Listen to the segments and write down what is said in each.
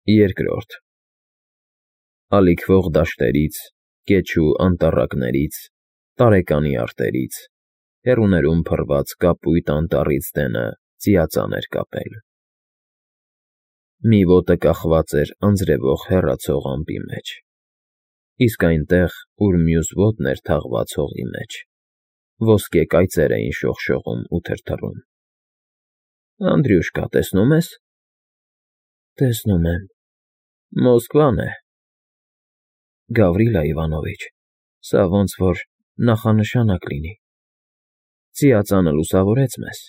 Երկրորդ Ալիքվող դաշտերից, կեչ ու անտառակներից, տարեկանի արտերից, հեռուներում փռված կապույտ անտառից դենը ծիածան էր կապել։ Մի ոտը կախված էր անձրևող հեռացող ամպի մեջ, իսկ այնտեղ, ուր մյուս ոտն էր թաղված հողի մեջ, ոսկե կայծեր էին շողշողում ու թրթռում։ ֊ Անդրյուշկա, տեսնո՞ւմ ես։ ֊ Տեսնում եմ, Մոսկվան է։ ֊ Գավրիլա Իվանովիչ, սա ոնց որ նախանշանակ լինի, ծիածանը լուսավորեց մեզ։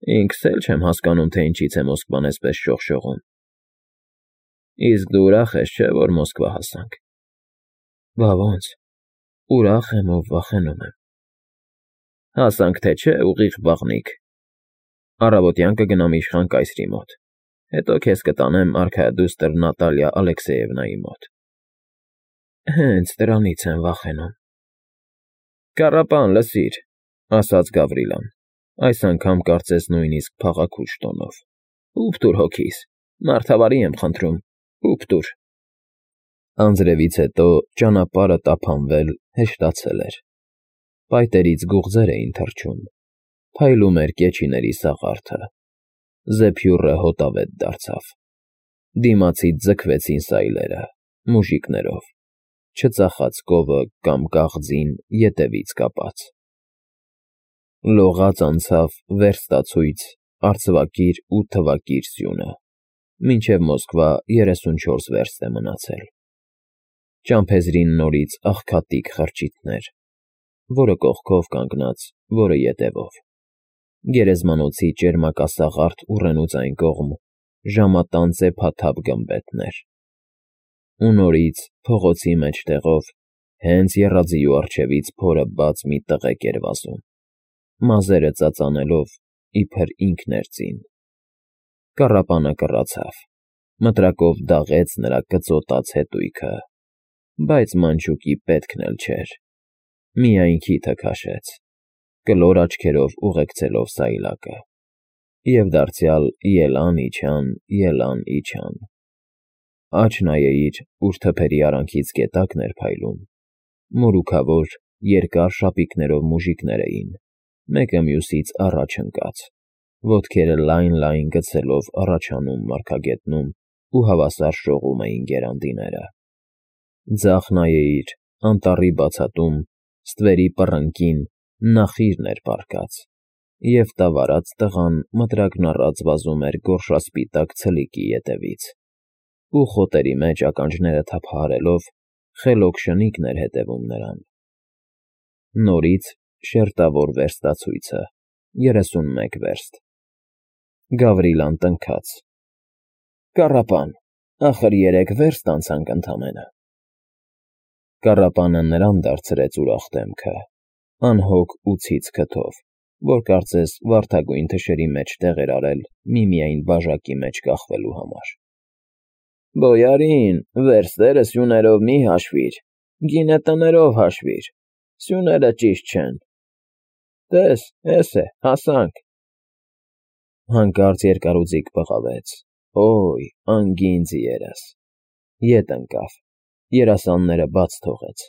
֊ Ինքս էլ չեմ հասկանում, թե ինչից է Մոսկվան էսպես շողշողում։ ֊ Իսկ դու ուրախ ես, չէ՞, որ Մոսկվա հասանք։ ֊ Բա ոնց, ուրախ եմ ու վախենում եմ։ ֊ Հասանք թե չէ, ուղիղ վաղնիք։ Առավոտյան կգնամ իշխան կայսրի մոտ, հետո քեզ կտանեմ արքայադուստր Նատալիա Ալեքսեևնայի մոտ։ ֊ Հենց դրանից եմ վախենում։ ֊ Կառապան, լսիր, ֊ ասաց Գավրիլան, այս անգամ կարծես նույնիսկ փաղաքուշ տոնով։ ֊ Ուփ տուր հոգիս, մարդավարի եմ խնդրում, ուփ տուր։ Անձրևից հետո ճանապարհը տափանվել, հեշտացել էր։ Փայտերից գուղձեր էին թռչում, փայլում էր կեչիների սաղարթը, զեփյուռը հոտավետ դարձավ, դիմացից ձգվեցին սայլերը, մուժիկներով, չծախած կովը կամ կաղձին ետևից կապած։ Լողաց անցավ վերստացույց, արծվակիր ու թվակիր սյունը, մինչև Մոսկվա 34 վերստ է մնացել։ Ճամփեզրին նորից աղքատիկ խրճիթներ, որը կողքով կանգնած, որը ետևով։ Գերեզմանոցի ճերմակասաղարթ ուռենուց այն կողմ ժամատան ծեփաթափ գմբեթներ։ Ու նորից փողոցի մեջտեղով, հենց եռաձիու առջևից փորը բաց մի տղեկ էր վազում, մազերը ծածանելով, իբր ինքն էր ծին։ Կառապանը կռացավ, մտրակով դաղեց նրա կծոտած հետույքը, բայց մանչուկի պետքն էլ չէր, միայն քիթը քաշեց, կլոր աչքերով ուղեկցելով սայլակը, և դարձյալ ելան իջան։ Աջ նայեիր, ուր թփերի արանքից գետակն էր փայլում, մորուքավոր, երկար շապիկներով մուժիկներ էին, մեկը մյուսից առաջ ընկած, ոտքերը լայն գցելով առաջանում մարգագետնում ու հավասար շողում էին գերանդիները։ Ձախ նայեիր, անտառի բացատում, ստվերի պռնկին նախիրն էր պառկած, և տավարած տղան մտրակն առած վազում էր գորշասպիտակ ցլիկի ետևից, ու խոտերի մեջ ականջները թափահարելով, խելոք շնիկն էր հետևում նրան։ Նորից շերտավոր վերստացույցը, 31 վերստ։ Գավրիլան տնքաց. Կառապան, ախր 3 վերստ անցանք ընդամենը։ Կառապանը նրան դարձրեց ուրախ դեմքը, անհոգ ու ցից քթով, որ կարծես վարդագույն թշերի մեջ տեղ էր արել միմիայն բաժակի մեջ կախվելու համար։ Բոյարին, վերստերը սյուներով մի հաշվիր, գինը տներով հաշվիր, սյուները ճիշտ չեն։ Տես, էս է, հասանք։ Հանկարծ երկարուձիգ բղավեց, օй, անգին ձիերս, ետ ընկավ, երասանները բաց թողեց,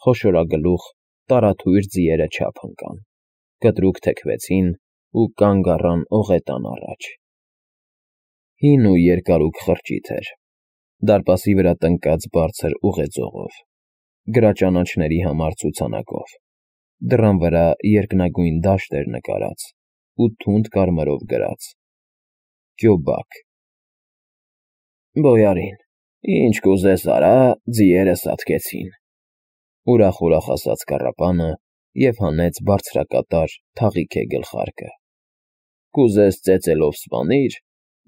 խոշորագլուխ, տարաթույր ձիերը չափ ընկան, կտրուկ թեքվեցին ու կանգ առան ողետան առաջ։ Հին ու երկարուկ խրճիթ էր, դարպասի վրա տնկած բարձր ուղեծողով, գրաճանաչների համար ցուցանակով, դռան վրա երկնագույն դաշտ էր նկարած ու թունդ կարմրով գրած. Կյոբակ։ Բոյարին, ինչ կուզես արա, ձիերը սատկեցին, ուրախ ասաց Կառապանը և հանեց բարձրակատար թաղիքե գլխարկը։ Կուզես ծեծելով սպանիր,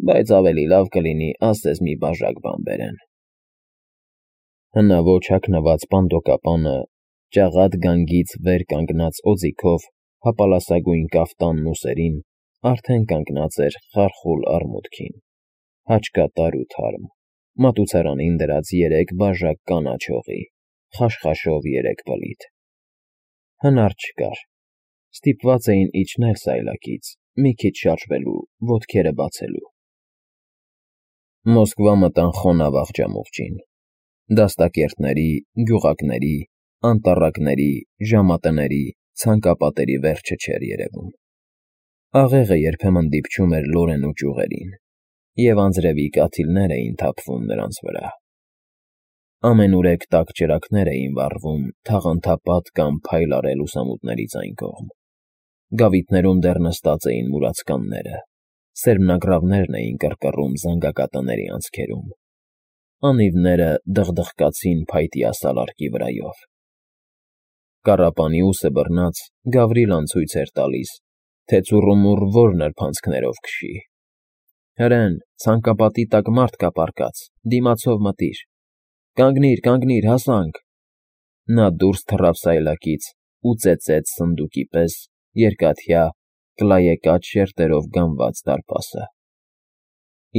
բայց ավելի լավ կլինի ասես մի բաժակ բան բերեն։ Հնաոճ հագնված պանդոկապանը, ճաղատ գանգից վեր կանգնած օձիքով հապալասագույն կաֆտանն ուսերին, արդեն կանգնած էր խարխուլ արմունկին, հաճկատար ու թարմ, մատուցարանին դրած 3 բաժակ կանաչ հողի, խաշխաշով 3 բլիթ։ Հնար չկար, ստիպված էին իջնել սայլակից, մի քիչ շարժվելու, ոտքերը բացելու։ Մոսկվա մտան խոնավ աղջամուղջին։ Դաստակերտների, գյուղակների, անտառակների, ժամատների, ցանկապատերի վերջը չէր երևում։ Աղեղը երբեմն դիպչում էր լորեն ու ճյուղերին, և անձրևի կաթիլներ էին թափվում նրանց վրա։ Ամենուրեք տաք ճրագներ էին վառվում թաղանթապատ կամ փայլառե լուսամուտներից այն կողմ։ Գավիթներում դեռ նստած էին մուրացկանները, սերմնագրավներն էին կռկռում զանգակատների անցքերում։ Անիվները դղդղկացին փայտի ասալարկի վրայով։ Կառապանիուսը բռնած Գավրիլան ցույց էր տալիս, թե ծուռումուռ որ նրբանցքներով քշի։ Հրեն, ցանկապատի տակ մարդ կա պառկած, դիմացով մտիր։ Կանգնիր, կանգնիր, հասանք։ Նա դուրս թռավ սայլակից ու ծեծեց սնդուկի պես երկաթյա, կլայեկաճ շերտերով գամված դարպասը։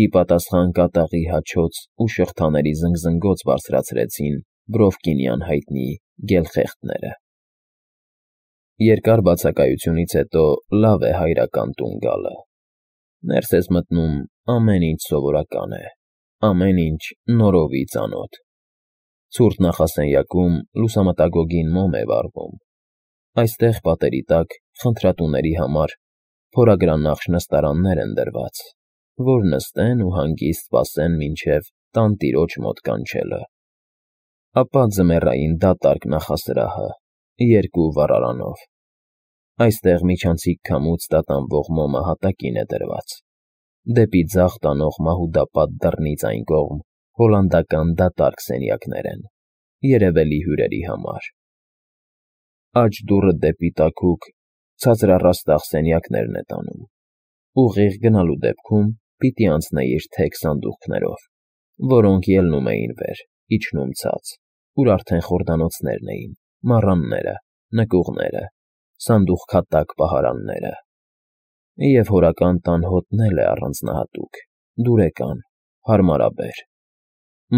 Ի պատասխան կատաղի հաչոց ու շղթաների զնգզնգոց բարձրացրեցին Բրովկինյան հայտնի գելխեղտները։ Երկար բացակայությունից հետո լավ է հայրական տուն գալը։ Ներս ես մտնում, ամեն ինչ սովորական է, ամեն ինչ նորովի ծանոթ։ Ցուրտ նախասենյակում լուսամտագոգին մոմ է վառվում։ Այստեղ պատերի տակ խնդրատուների համար փորագրանախշ նստարաններ են դրված, որ նստեն ու հանգիստ սպասեն մինչև տանտիրոջ մոտ կանչելը։ Ապա ձմեռային դատարկ նախասրահը, 2 վառարանով։ Այստեղ միջանցիկ քամուց տատանվող մոմը հատակին է դրված։ Դեպի ձախ տանող մահուդապատ դռնից այն կողմ հոլանդական դատարկ սենյակներ են, երևելի հյուրերի համար։ Աջ դուռը դեպի տաքուկ, ցածրառաստաղ սենյակներն է տանում։ Ուղիղ գնալու դեպքում պիտի անցնեիր թեք սանդուղքներով, որոնք ելնում էին վեր, իջնում ցած, ուր արդեն խորդանոցներն էին, մառանները, նկուղները, սանդուղքատակ պահարանները։ Եվ հորական տան հոտն էլ է առանձնահատուկ, դուրեկան, հարմարաբեր։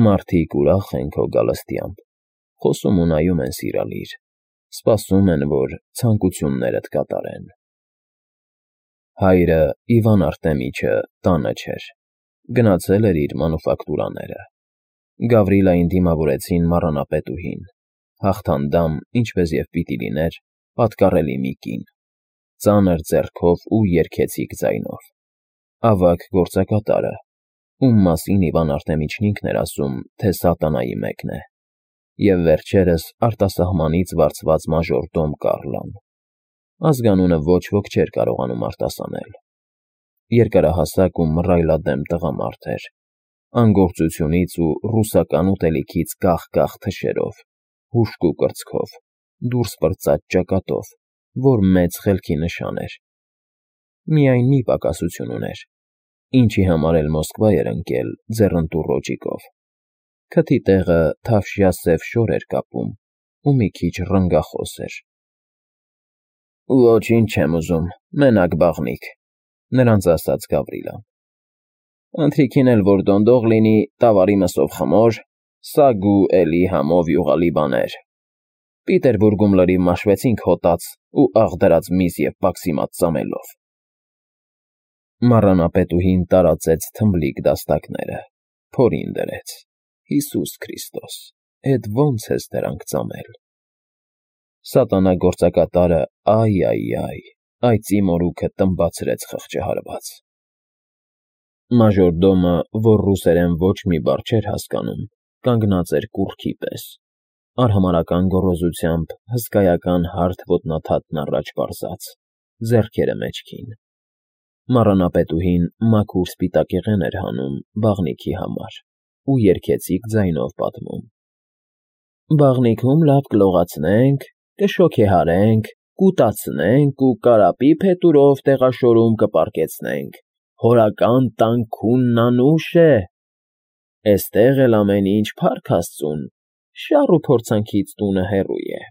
Մարդիկ ուրախ են քո գալստյամբ, խոսում ու նայում են սիրալիր, սպասում են, որ ցանկություններդ կատարեն։ Հայրը Իվան Արտեմիչը տանը չէր, գնացել էր իր մանուֆակտուրաները։ Գավրիլային դիմավորեցին մառանապետուհին, հաղթանդամ, ինչպես և պիտի լիներ, պատկառելի մի կին, ծանր ձեռքով ու երգեցիկ ձայնով։ Ավագ գործակատարը, ում մասին Իվան Արտեմիչն ինքն էր ասում, թե սատանայի մեկն է, և վերջերս արտասահմանից վարձված մաժորդոմ Կառլան։ Ազգանունը ոչ ոք չէր կարողանում արտասանել։ Երկարահասակ ու մռայլադեմ տղամարդ էր, անգործությունից ու ռուսական ուտելիքից գաղ-գաղ թշերով, հուժկ ու կրծքով, դուրս պրծած ճակատով, որ մեծ խելքի նշան էր։ Միայն մի պակասություն ուներ, ինչի համար էլ Մոսկվա էր ընկել ձեռնտու ռոճիկով։ Քթի տեղը թավշյա սև շոր էր կապում ու մի քիչ ռնգախոս էր։ Ոչինչ չեմ ուզում, մենակ բաղնիք, նրանց ասաց Գավրիլան։ Ընթրիքին էլ որ դոնդող լինի, տավարի մսով խմոր, սագ ու էլի համով յուղալի բաներ։ Պիտերբուրգում լրիվ մաշվեցինք հոտած ու աղ դրած միս և պաքսիմատ ծամելով։ Մառանապետուհին տարածեց թմբլիկ դաստակները, փորին դրեց։ Հիսուս Քրիստոս, էդ ո՞նց ես դրանք ծամել։ Սատանա գործակատարը այ, այծի մորուքը տմբացրեց խղճահարված։ Մաժորդոմը, որ ռուսերեն ոչ մի բառ չէր հասկանում, կանգնած էր կուռքի պես, արհամարհական գոռոզությամբ հսկայական հարթ ոտնաթաթն առաջ պարզած, ձեռքերը մեջքին։ Մառանապետուհին մաքուր սպիտակեղեն էր հանում բաղնիքի համար ու երգեցիկ ձայնով պատմում. Բաղնիքում լավ կլողացնենք, կշոգեհարենք, կուտացնենք ու կարապի փետուրով տեղաշորում կպառկեցնենք, հորական տան քունն անուշ է։ Էստեղ էլ ամեն ինչ փառք Աստծուն, շառ ու փորձանքից տունը հեռու է։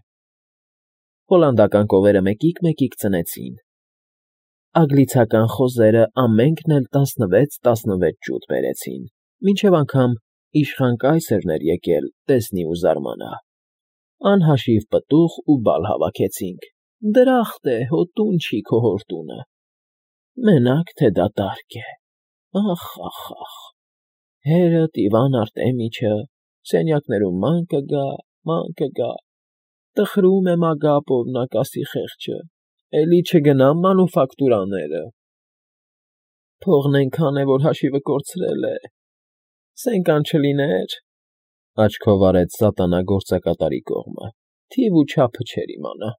Հոլանդական կովերը մեկիկ ծնեցին։ Անգլիացական խոզերը ամենքն էլ 16 ջութ բերեցին, մինչև անգամ իշխան կայսերն էր եկել, տեսնի ու զարմանա։ Անհաշիվ պտուղ ու բալ հավաքեցինք, դրախտ է, հո տուն չի քո հոր տունը։ Մենակ թե դատարկ է, ախ։ Հերդ Իվան Արտեմիչը սենյակներում ման կգա, տխրում է Մագապով նակասի խեղճը, էլի չգնամ մանուֆակտուրաները։ Փողն այնքան է, որ հաշիվը կորցրել է, սենկան չլիներ, աչքով արեց սատանա գործակատարի կողմը, թիվ ու չափը չէր իմանա։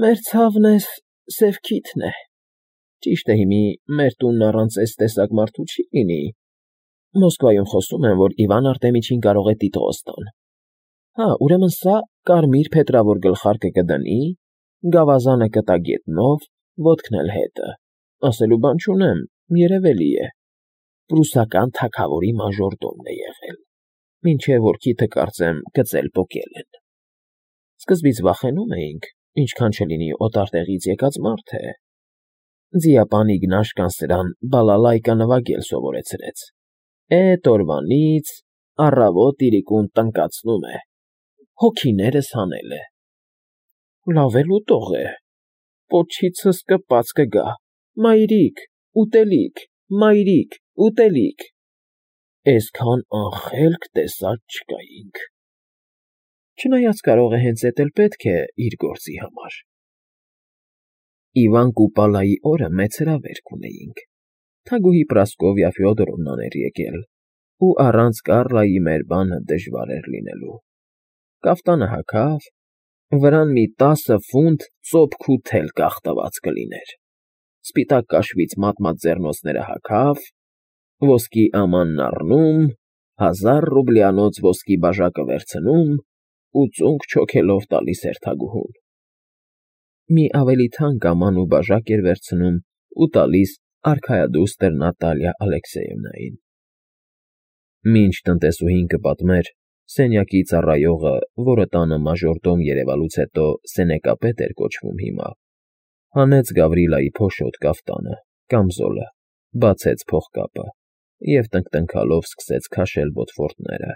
Մեր ցավն էս Սևքիթն է, ճիշտ է հիմի մեր տունն առանց էս տեսակ մարդու չի լինի, Մոսկվայում խոսում են, որ Իվան Արտեմիչին կարող է տիտղոս տան։ Հա, ուրեմն սա կարմիր փետրավոր գլխարկը կդնի, գավազանը կտա գետնով, ոտքն էլ հետը, ասելու բան չունեմ, երևելի է, պրուսական թագավորի մաժորդոմն է եղել, մինչև որ քիթը կարծեմ գծել պոկել են։ Սկզբից վախենում էինք, ինչքան չլինի օտար տեղից եկած մարդ է։ Ձիապան Իգնաշկան սրան բալալայկա նվագել սովորեցրեց։ Էդ օրվանից առավոտ իրիկուն տնկացնում է, հոգիներս հանել է։ Լավ էլ ուտող է, պոչիցս կպած կգա, մայրիկ, ուտելիք, էսքան անխելք տեսած չկայինք։ Չնայած կարող է հենց էդ էլ պետք է իր գործի համար։ Իվան Կուպալայի օրը մեծ հրավերք ունեինք։ Թագուհի Պրասկովիա Ֆյոդորովնան էր եկել, ու առանց Կառլայի մեր բանը դժվար էր լինելու։ Կաֆտանը հագավ, վրան մի 10 ֆունտ ծոփք ու թել կախտված կլիներ, սպիտակ կաշվից մատմած ձեռնոցները հագավ, ոսկի ամանն առնում, 1000 ռուբլյանոց ոսկի բաժակը վերցնում ու ծունկ չոքելով տալիս էր թագուհուն։ Մի ավելի թանկ աման ու բաժակ էր վերցնում ու տալիս արքայադուստր Նատալիա Ալեքսեևնային։ Մինչ տնտեսուհին կպատմեր, սենյակի ծառայողը, որը տանը մաժորդոմ երևալուց հետո սենեկապետ էր կոչվում հիմա, հանեց Գավրիլայի փոշոտ կաֆտանը, կամզոլը, բացեց փողկապը և տնկտնքալով սկսեց քաշել բոթֆորտները։